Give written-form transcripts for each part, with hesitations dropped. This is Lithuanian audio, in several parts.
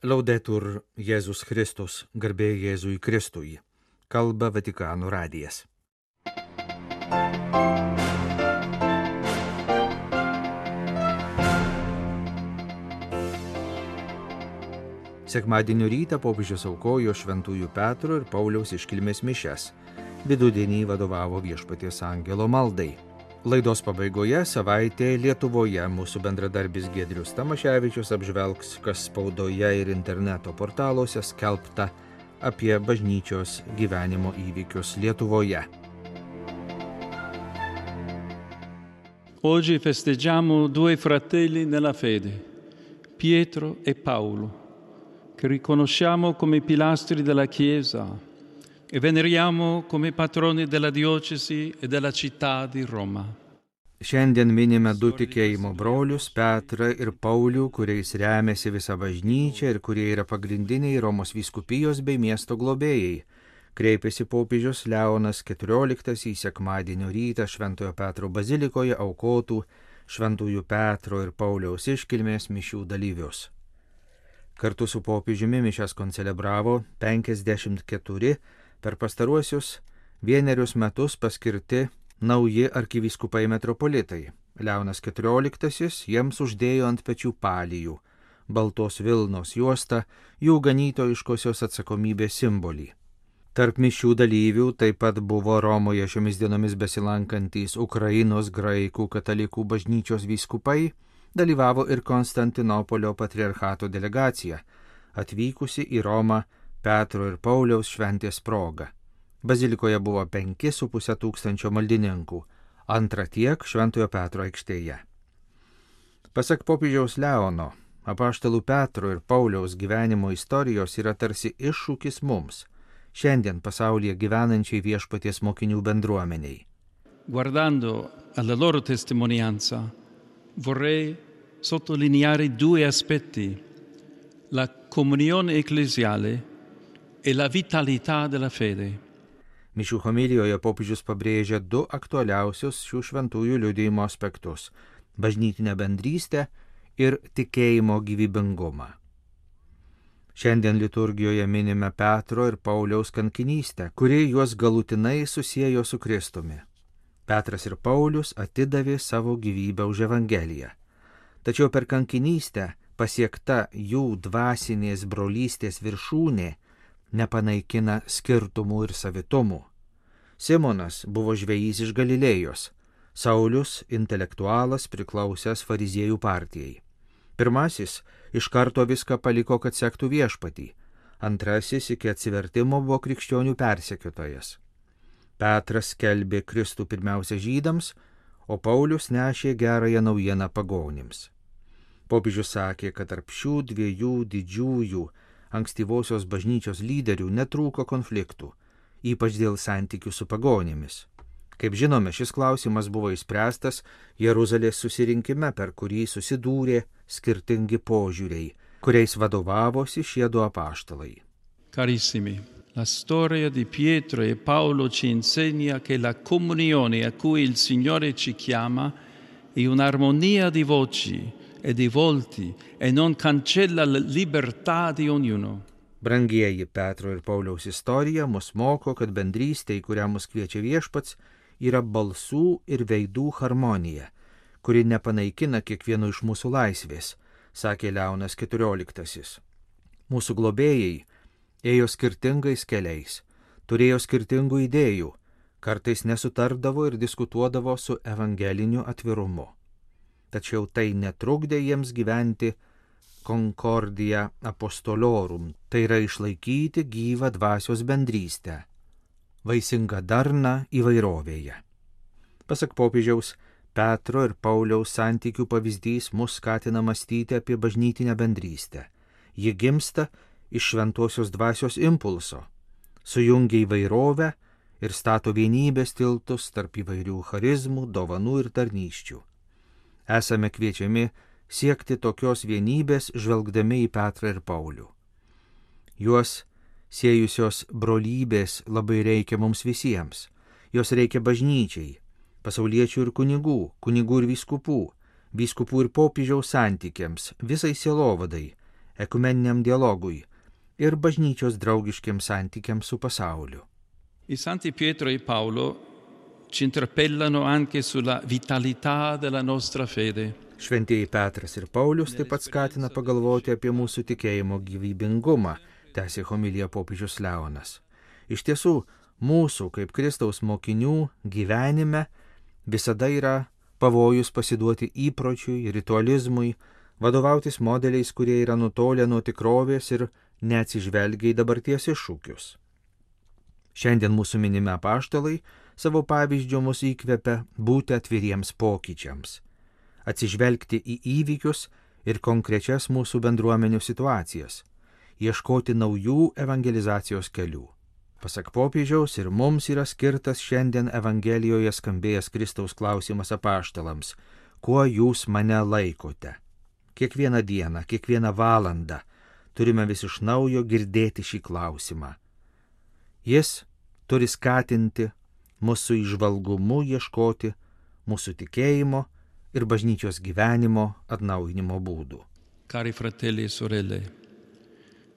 Laudetur Jėzus Kristus, garbė Jėzui Kristui. Kalba Vatikano radijas. Sekmadienio rytą popiežius aukojo Šventųjų Petro ir Pauliaus iškilmės mišias. Vidudienį vadovavo Viešpaties angelo maldai. Laidos pabaigoje savaitė Lietuvoje mūsų bendradarbis Giedrius Tamaševičius apžvelgs, kas spaudoje ir interneto portaluose skelbta apie bažnyčios gyvenimo įvykius Lietuvoje. Oggi festeggiamo due fratelli nella fede, Pietro e Paolo, che riconosciamo come pilastri della Chiesa e veneriamo come patroni della diocesi e della città di Roma. Šiandien minime du tikėjimo brolius, Petrą ir Paulių, kuriais remiasi visa bažnyčia ir kurie yra pagrindiniai Romos vyskupijos bei miesto globėjai. Kreipėsi popiežius Leonas XIV į sekmadienio rytą Šventojo Petro bazilikoje aukotų Šventųjų Petro ir Pauliaus iškilmės mišių dalyvius. Kartu su popiežiumi mišias koncelebravo 54 per pastaruosius vienerius metus paskirti nauji arkivyskupai metropolitai. Leonas XIV jiems uždėjo ant pečių palijų, baltos vilnos juostą, jų ganytojiškosios atsakomybės simbolį. Tarp mišių dalyvių taip pat buvo Romoje šiomis dienomis besilankantys Ukrainos graikų katalikų bažnyčios vyskupai, dalyvavo ir Konstantinopolio patriarchato delegacija, atvykusi į Romą Petro ir Pauliaus šventės proga. Bazilikoje buvo 5,5 tūkstančio maldininkų, antra tiek Šventojo Petro aikštėje. Pasak popiežiaus Leono, apaštalų Petro ir Pauliaus gyvenimo istorijos yra tarsi iššūkis mums, šiandien pasaulyje gyvenančiai Viešpaties mokinių bendruomeniai. Guardando alla loro testimonianza, vorrei sottolineare due aspetti: la comunione ecclesiale e la vitalità della fede. Mišių homilijoje popiežius pabrėžia du aktualiausius šių šventųjų liudijimo aspektus – bažnytinę bendrystę ir tikėjimo gyvybingumą. Šiandien liturgijoje minime Petro ir Pauliaus kankinystę, kuri juos galutinai susiejo su Kristumi. Petras ir Paulius atidavė savo gyvybę už Evangeliją. Tačiau per kankinystę pasiekta jų dvasinės brolystės viršūnė nepanaikina skirtumų ir savitumų. Simonas buvo žvejys iš Galilėjos, Saulius intelektualas priklausęs fariziejų partijai. Pirmasis iš karto viską paliko, kad sektų Viešpatį, antrasis iki atsivertimo buvo krikščionių persekiotojas. Petras skelbė Kristų pirmiausia žydams, o Paulius nešė gerąją naujieną pagonims. Popiežius sakė, kad tarp šių dviejų didžiųjų ankstyvosios bažnyčios lyderių netrūko konfliktų, ypač dėl santykių su pagonimis. Kaip žinome, šis klausimas buvo išspręstas Jeruzalės susirinkime, per kurį susidūrė skirtingi požiūriai, kuriais vadovavosi šie du apaštalai. Carissimi, la storia di Pietro e Paolo ci insegna che la comunione a cui il Signore ci chiama è un'armonia di voci e di volti e non cancella la libertà di ognuno. Brangieji, Petro ir Pauliaus istorija mus moko, kad bendrystė, į kurią mus kviečia Viešpats, yra balsų ir veidų harmonija, kuri nepanaikina kiekvieno iš mūsų laisvės, sakė Leonas XIV. Mūsų globėjai ėjo skirtingais keliais, turėjo skirtingų idėjų, kartais nesutardavo ir diskutuodavo su evangeliniu atvirumu. Tačiau tai netrukdė jiems gyventi concordia apostolorum, tai yra išlaikyti gyvą dvasios bendrystę, vaisingą darną įvairovėje. Pasak popiežiaus, Petro ir Pauliaus santykių pavyzdys mus skatina mąstyti apie bažnytinę bendrystę. Ji gimsta iš šventosios dvasios impulso, sujungia įvairovę ir stato vienybės tiltus tarp įvairių charizmų, dovanų ir tarnysčių. Esame kviečiami siekti tokios vienybės, žvelgdami į Petrą ir Paulių. Juos siejusios brolybės labai reikia mums visiems. Jos reikia bažnyčiai, pasauliečių ir kunigų ir vyskupų ir popiežiaus santykiams, visai sielovadai, ekumeniniam dialogui ir bažnyčios draugiškiams santykiams su pasauliu. I Santi Pietro e Paolo ci interpellano anche sulla vitalità della nostra fede. Šventieji Petras ir Paulius taip pat skatina pagalvoti apie mūsų tikėjimo gyvybingumą, tęsė homilija popiežius Leonas. Iš tiesų, mūsų kaip Kristaus mokinių gyvenime visada yra pavojus pasiduoti įpročiui, ritualizmui, vadovautis modeliais, kurie yra nutolę nuo tikrovės ir neatsižvelgia į dabarties iššūkius. Šiandien mūsų minimi apaštalai savo pavyzdžiu mus įkvepia būti atviriems pokyčiams, atsižvelgti į įvykius ir konkrečias mūsų bendruomenių situacijas, ieškoti naujų evangelizacijos kelių. Pasak popiežiaus ir mums yra skirtas šiandien Evangelijoje skambėjęs Kristaus klausimas apaštalams: kuo jūs mane laikote? Kiekvieną dieną, kiekvieną valandą turime vis iš naujo girdėti šį klausimą. Jis turi skatinti mūsų įžvalgumu ieškoti mūsų tikėjimo ir bažnyčios gyvenimo atnaujinimo būdų. Cari fratelli e sorelle,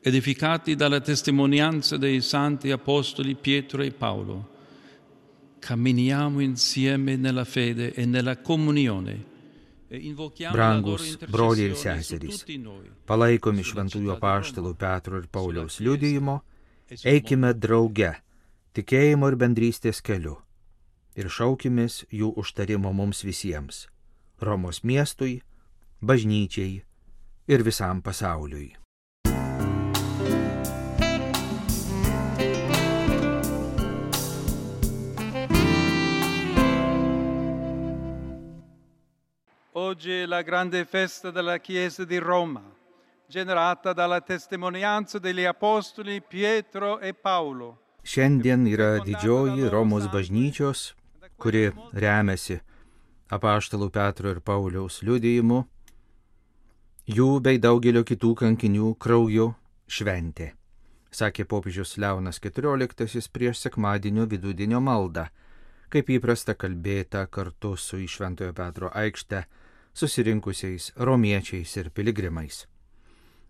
edificati dalla testimonianza dei santi apostoli Pietro e Paolo, camminiamo insieme nella fede e nella comunione. Brangus broliai ir seserys, palaikomi šventųjų apaštalų Petro ir Pauliaus liudijimo, eikime drauge tikėjimo ir bendrystės keliu ir šaukimės jų užtarimo mums visiems, Romos miestui, bažnyčiai ir visam pasauliui. Oggi è la grande festa della Chiesa di Roma, generata dalla testimonianza degli apostoli Pietro e Paolo. Šiandien yra didžioji Romos bažnyčios, kuri remiasi apaštalų Petro ir Pauliaus liudijimu, jų bei daugelio kitų kankinių krauju šventė, sakė popiežius Leonas XIV prieš sekmadienio vidudienio maldą, kaip įprasta kalbėta kartu su į Šventojo Petro aikštę susirinkusiais romiečiais ir piligrimais.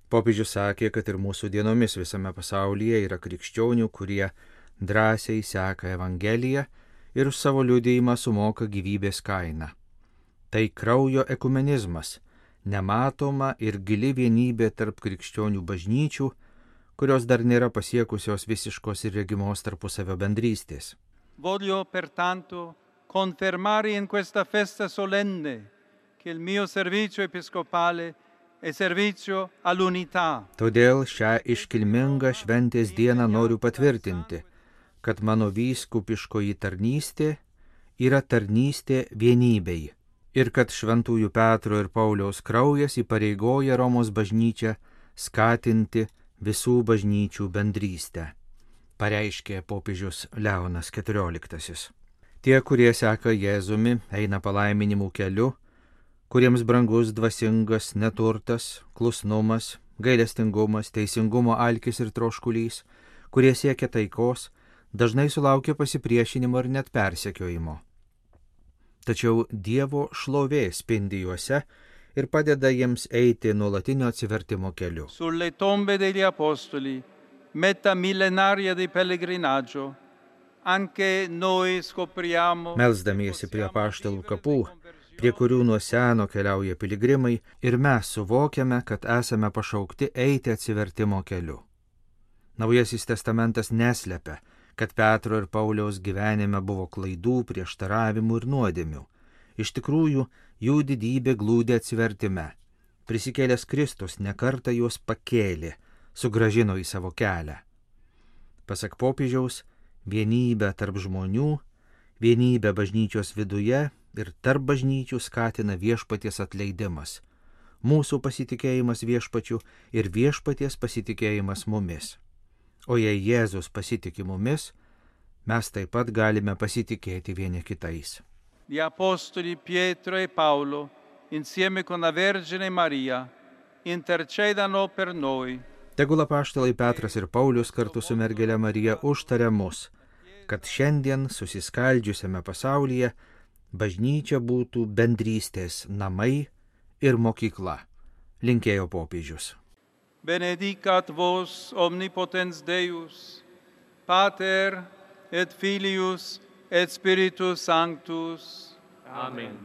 Popiežius sakė, kad ir mūsų dienomis visame pasaulyje yra krikščionių, kurie drąsiai seka Evangeliją ir už savo liudijimą sumoka gyvybės kainą. Tai kraujo ekumenizmas, nematoma ir gili vienybė tarp krikščionių bažnyčių, kurios dar nėra pasiekusios visiškos ir regimos tarpusavio bendrystės. Voglio pertanto confermare in questa festa solenne che il mio servizio episcopale è servizio all'unità. Todėl šią iškilmingą šventės dieną noriu patvirtinti, kad mano vyskupiškoji tarnystė yra tarnystė vienybei ir kad šventųjų Petro ir Pauliaus kraujas įpareigoja Romos bažnyčią skatinti visų bažnyčių bendrystę, pareiškė popiežius Leonas XIV. Tie, kurie seka Jėzumi, eina palaiminimų keliu, kuriems brangus dvasingas neturtas, klusnumas, gailestingumas, teisingumo alkis ir troškulys, kurie siekia taikos, dažnai sulaukia pasipriešinimo ir net persekiojimo. Tačiau Dievo šlovė spindi juose ir padeda jiems eiti nuolatinio atsivertimo keliu. Sulle tombe degli apostoli, meta millenaria di pellegrinaggio, anche noi scopriamo. Melsdamiesi prie apaštalų kapų, prie kurių nuo seno keliauja piligrimai, ir mes suvokiame, kad esame pašaukti eiti atsivertimo keliu. Naujasis testamentas neslepia, kad Petro ir Pauliaus gyvenime buvo klaidų, prieštaravimų ir nuodėmių. Iš tikrųjų, jų didybė glūdi atsivertime. Prisikėlęs Kristus nekartą juos pakėlė, sugrąžino į savo kelią. Pasak popiežiaus, vienybę tarp žmonių, vienybę bažnyčios viduje ir tarp bažnyčių skatina viešpaties atleidimas, mūsų pasitikėjimas viešpačiu ir viešpaties pasitikėjimas mumis. O jei Jėzus pasitiki mumis, mes taip pat galime pasitikėti vieni kitais. Gli apostoli Pietro e Paolo, insieme con la Vergine Maria, intercedano per noi. Tegul apaštalai Petras ir Paulius kartu su mergele Marija užtaria mus, kad šiandien susiskaldžiusiame pasaulyje bažnyčia būtų bendrystės namai ir mokykla, linkėjo popiežius. benedicat vos omnipotens Deus, Pater et Filius et Spiritus Sanctus. Amen.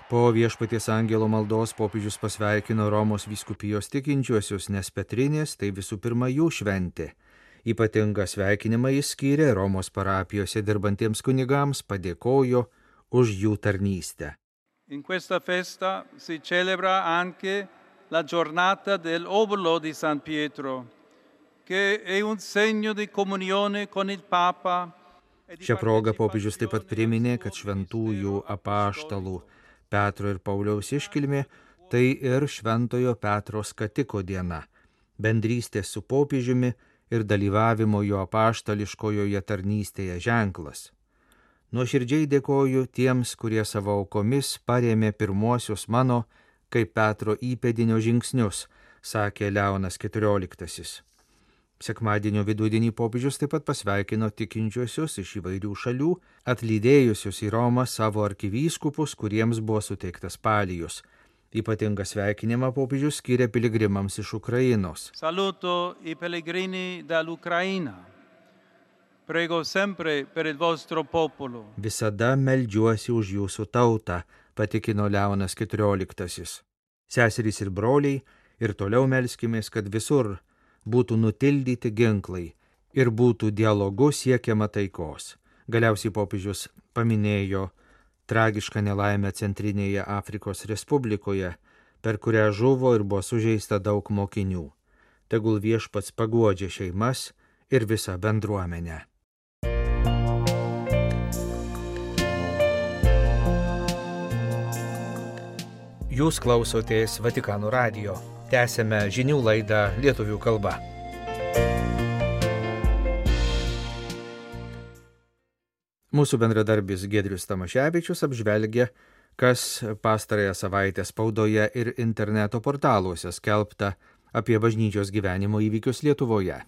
Po Viešpaties angelo maldos popiežius pasveikino Romos vyskupijos tikinčiuosius, nes Petrinės tai visų pirma jų šventė. Ypatingą sveikinimą jis skyrė Romos parapijose dirbantiems kunigams, padėkojo už jų tarnystę. In questa festa si celebra anche la giornata dell'Obolo di San Pietro, che è un segno di comunione con il Papa. Šią progą popiežius taip pat priminė, kad šventųjų apaštalų Petro ir Pauliaus iškilmė tai ir šventojo Petro skatiko diena, bendrystės su popiežiumi ir dalyvavimo jo apaštališkojoje tarnystėje ženklas. Nuoširdžiai dėkoju tiems, kurie savo aukomis parėmė pirmuosius mano, kaip Petro įpėdinio žingsnius, sakė Leonas XIV. Sekmadienio vidudienį popiežius taip pat pasveikino tikinčiuosius iš įvairių šalių, atlydėjusius į Romą savo arkivyskupus, kuriems buvo suteiktas palijus. Ypatingą sveikinimą popiežius skyrė piligrimams iš Ukrainos. Saluto i pellegrini dall'Ucraina. Prego sempre per il vostro popolo. Visada meldžiuosi už jūsų tautą, patikino Leonas XIV. Seserys ir broliai, ir toliau melskimės, kad visur būtų nutildyti ginklai ir būtų dialogu siekiama taikos. Galiausiai popiežius paminėjo tragišką nelaimę Centrinėje Afrikos Respublikoje, per kurią žuvo ir buvo sužeista daug mokinių. Tegul Viešpats paguodžia šeimas ir visą bendruomenę. Jūs klausotės Vatikano radijo. Tęsėme žinių laidą lietuvių kalba. Mūsų bendradarbis Giedrius Tamaševičius apžvelgia, kas pastarąją savaitę spaudoje ir interneto portaluose skelbta apie bažnyčios gyvenimo įvykius Lietuvoje.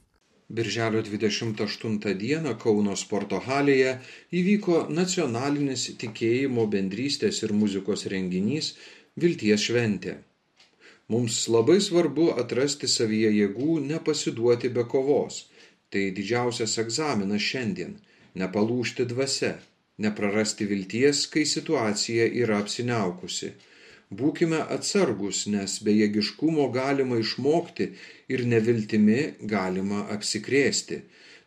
Birželio 28 dieną Kauno sporto halėje įvyko nacionalinis tikėjimo, bendrystės ir muzikos renginys Vilties šventė. Mums labai svarbu atrasti savyje jėgų nepasiduoti be kovos. Tai didžiausias egzaminas šiandien – nepalūžti dvasia, neprarasti vilties, kai situacija yra apsiniaukusi. Būkime atsargus, nes bejėgiškumo galima išmokti ir neviltimi galima apsikrėsti.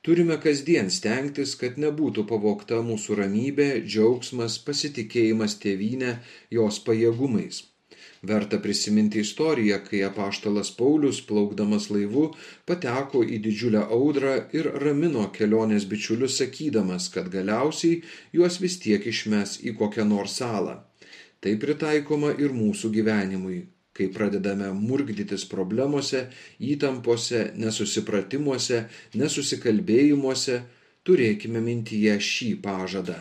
Turime kasdien stengtis, kad nebūtų pavogta mūsų ramybė, džiaugsmas, pasitikėjimas tėvyne, jos pajėgumais. Verta prisiminti istoriją, kai apaštalas Paulius, plaukdamas laivu, pateko į didžiulę audrą ir ramino kelionės bičiulius, sakydamas, kad galiausiai juos vis tiek išmes į kokią nors salą. Tai pritaikoma ir mūsų gyvenimui, kai pradedame murgdytis problemose, įtampose, nesusipratimuose, nesusikalbėjimuose, turėkime mintyje šį pažadą.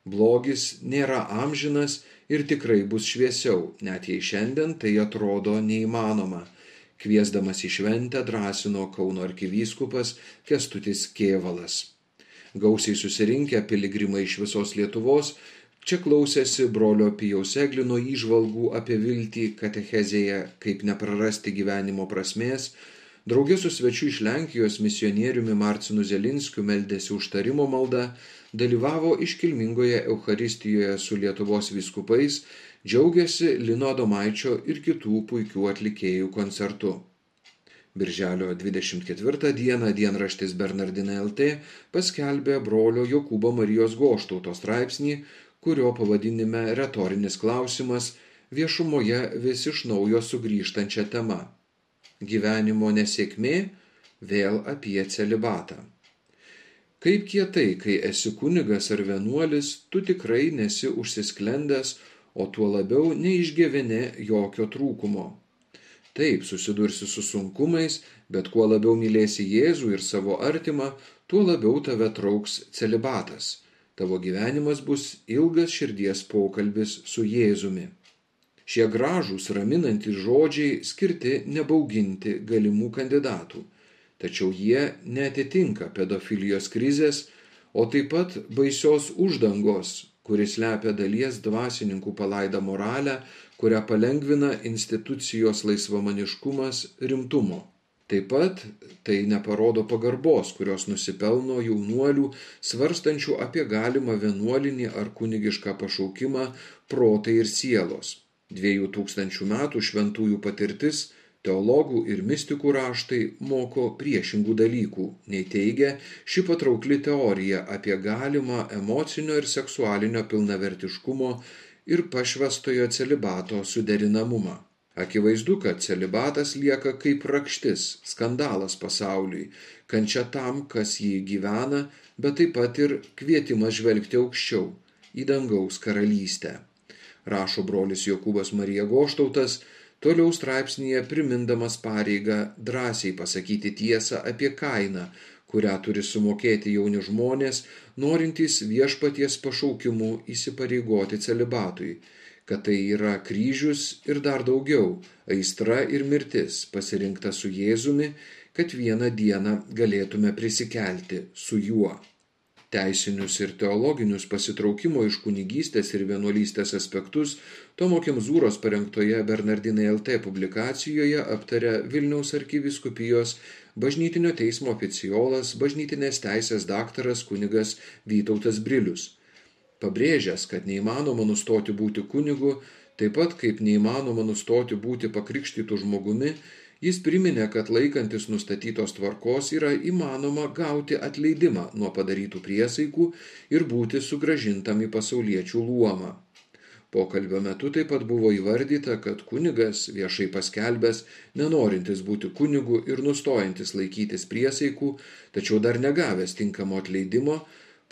Blogis nėra amžinas ir tikrai bus šviesiau, net jei šiandien tai atrodo neįmanoma. Kviesdamas į šventę drąsino Kauno arkivyskupas Kęstutis Kėvalas. Gausiai susirinkę piligrimai iš visos Lietuvos čia klausėsi brolio Pijaus Eglino įžvalgų apie viltį katechezėje, kaip neprarasti gyvenimo prasmės. Drauge su svečiu iš Lenkijos misionieriumi Marcinu Zelinskiu meldėsi užtarimo malda, dalyvavo iškilmingoje Eucharistijoje su Lietuvos vyskupais, džiaugiasi Lino Adomaičio ir kitų puikių atlikėjų koncertu. Birželio 24 dieną dienraštis Bernardinai LT paskelbė brolio Jokūbo Marijos Goštauto straipsnį, kurio pavadinime retorinis klausimas viešumoje vis iš naujo sugrįžtančia tema. Gyvenimo nesėkmė vėl apie celibatą. Kaip kietai, kai esi kunigas ar vienuolis, tu tikrai nesi užsisklendęs, o tuo labiau neišgyveni jokio trūkumo. Taip, susidursi su sunkumais, bet kuo labiau mylėsi Jėzų ir savo artimą, tuo labiau tave trauks celibatas. Tavo gyvenimas bus ilgas širdies pokalbis su Jėzumi. Šie gražūs, raminantys žodžiai skirti nebauginti galimų kandidatų, tačiau jie neatitinka pedofilijos krizės, o taip pat baisios uždangos, kuris slepia dalies dvasininkų palaidą moralę, kurią palengvina institucijos laisvamaniškumas rimtumo. Taip pat tai neparodo pagarbos, kurios nusipelno jaunuolių, svarstančių apie galimą vienuolinį ar kunigišką pašaukimą protai ir sielos. 2000 metų šventųjų patirtis, teologų ir mistikų raštai moko priešingų dalykų, nei teigia ši patraukli teorija apie galimą emocinio ir seksualinio pilnavertiškumo ir pašvęstojo celibato suderinamumą. Akivaizdu, kad celibatas lieka kaip rakštis, skandalas pasauliui, kančia tam, kas jį gyvena, bet taip pat ir kvietimas žvelgti aukščiau, į dangaus karalystę. Rašo brolis Jokūbas Marija Goštautas, toliau straipsnyje primindamas pareigą drąsiai pasakyti tiesą apie kainą, kurią turi sumokėti jauni žmonės, norintys viešpaties pašaukimu įsipareigoti celibatui, kad tai yra kryžius ir dar daugiau, aistra ir mirtis, pasirinkta su Jėzumi, kad vieną dieną galėtume prisikelti su juo. Teisinius ir teologinius pasitraukimo iš kunigystės ir vienuolystės aspektus Tomo Kemzūros parengtoje Bernardinai LT publikacijoje aptaria Vilniaus arkivyskupijos bažnytinio teismo oficiolas, bažnytinės teisės daktaras kunigas Vytautas Brilius. Pabrėžęs, kad neįmanoma nustoti būti kunigu, taip pat kaip neįmanoma nustoti būti pakrikštytų žmogumi, jis priminė, kad laikantis nustatytos tvarkos yra įmanoma gauti atleidimą nuo padarytų priesaikų ir būti sugrąžintam į pasauliečių luomą. Pokalbio metu taip pat buvo įvardyta, kad kunigas, viešai paskelbęs, nenorintis būti kunigu ir nustojantis laikytis priesaikų, tačiau dar negavęs tinkamo atleidimo,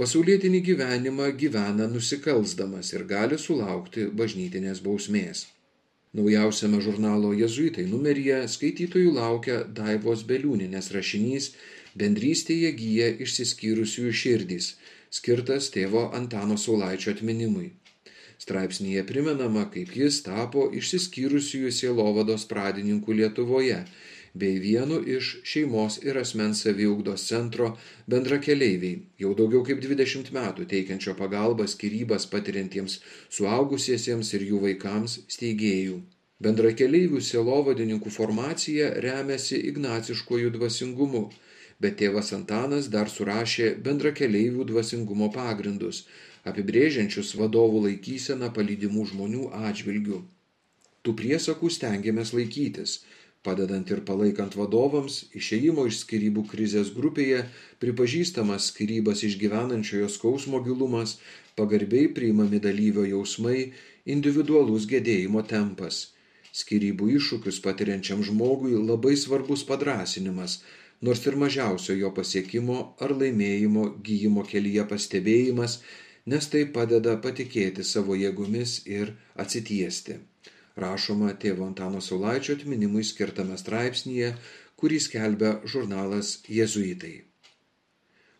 pasaulietinį gyvenimą gyvena nusikalsdamas ir gali sulaukti bažnytinės bausmės. Naujausiame žurnalo Jėzuitai numeryje skaitytojų laukia Daivos Beliūnienės rašinys Bendrystėje gyja išsiskyrusiųjų širdys, skirtas tėvo Antano Saulaičio atminimui. Straipsnyje primenama, kaip jis tapo išsiskyrusiųjų sielovados pradininku Lietuvoje, bei vienu iš šeimos ir asmens saviugdos centro bendrakeleiviai, jau daugiau kaip 20 metų teikiančio pagalbą skyrybas patiriantiems suaugusiesiems ir jų vaikams steigėjų. Bendrakeleivių sielovadininkų formacija remiasi ignaciškuoju dvasingumu, bet tėvas Antanas dar surašė bendrakeleivių dvasingumo pagrindus, apibrėžiančius vadovų laikyseną palydimų žmonių atžvilgių. Tų priesakų stengiamės laikytis, padedant ir palaikant vadovams, išėjimo iš skyrybų krizės grupėje, pripažįstamas skyrybas išgyvenančiojo skausmo gilumas, pagarbiai priimami dalyvio jausmai, individualus gedėjimo tempas. Skyrybų iššūkius patiriančiam žmogui labai svarbus padrąsinimas, nors ir mažiausio jo pasiekimo ar laimėjimo gijimo kelyje pastebėjimas, nes tai padeda patikėti savo jėgomis ir atsitiesti. Rašoma tėvo Antano Saulaičio atminimui skirtame straipsnyje, kurį skelbia žurnalas Jėzuitai.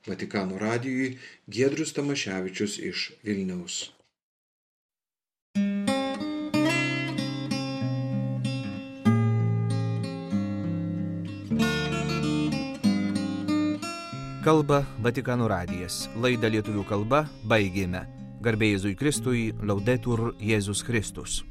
Vatikano radijui Giedrius Tamaševičius iš Vilniaus. Kalba Vatikano radijas. Laidą lietuvių kalba baigėme. Garbė Jėzui Kristui, Laudetur Jėzus Kristus.